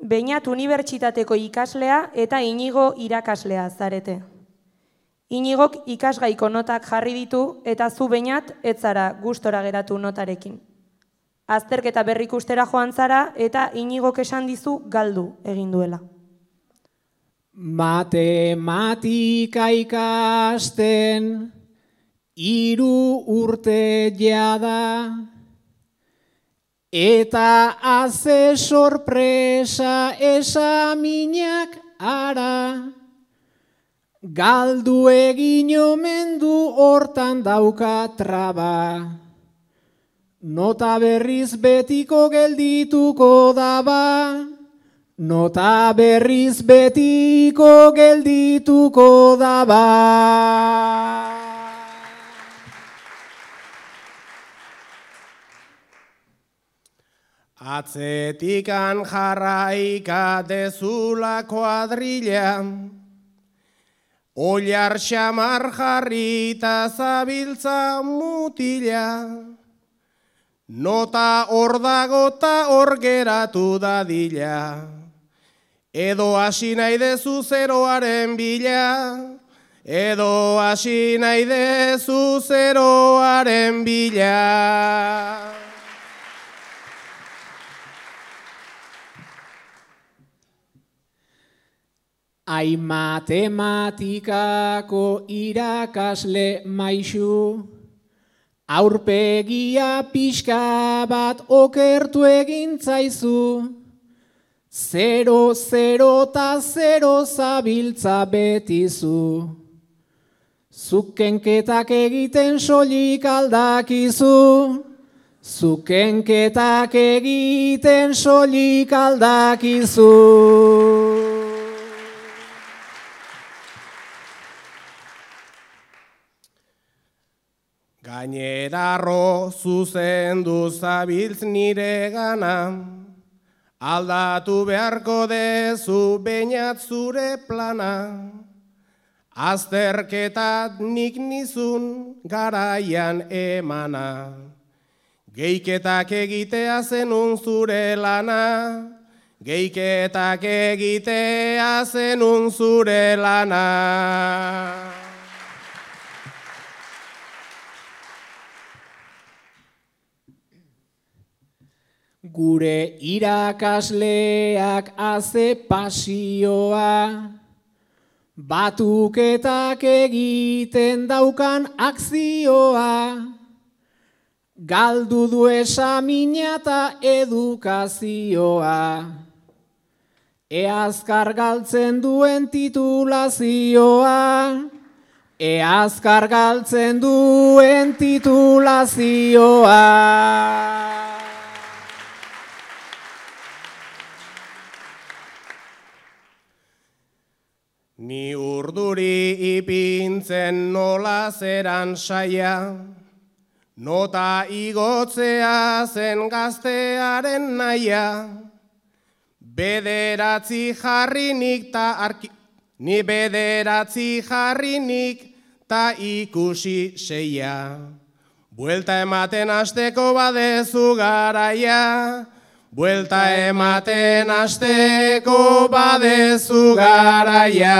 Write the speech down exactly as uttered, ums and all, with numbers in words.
Beñat unibertsitateko ikaslea eta Inigo irakaslea zarete. Inigok ikasgaiko notak jarri ditu eta zu Beñat ez zara gustora geratu notarekin. Azterketa berrikustera joan zara eta Inigok esan dizu galdu egin duela. Matematika ikasten hiru urte jada eta haze sorpresa esaminak ara. Galdu egin omen du hortan dauka traba. Nota berriz betiko geldituko daba. Nota berriz betiko geldituko daba. Atzetikan jarraika dezula kuadrilla, Oilar xamar jarrita zabiltza mutila, nota hor dago ta hor geratu dadila, edo hasi nahi dezu zeroaren bila, edo hasi nahi dezu zeroaren bila. Ai matematikako irakasle maixu, aurpegia pixka bat okertu egin zaizu. Zero, zero ta zero zabiltza betizu. Zukenketak egiten soilik aldakizu. Zukenketak egiten soilik aldakizu. Gainerarro zuzendu zabiltz nire gana, aldatu beharko dezu Beñat zure plana. Azterketat nik nizun garaian emana, geiketak egitea zenun zure lana, geiketak egitea zenun zure lana. Gure irakasleak haze pasioa, batuketak egiten daukan akzioa, galdu du esamina eta edukazioa, eazkar galtzen duen titulazioa, eazkar galtzen duen titulazioa. Ni urduri ipintzen nola zeran saia, nota igotzea zen gaztearen naia. Bederatzi jarrinik ta arki... Ni bederatzi jarrinik ta ikusi seia. Buelta ematen hasteko badezu garaia. Buelta ematen hasteko badezu garaia.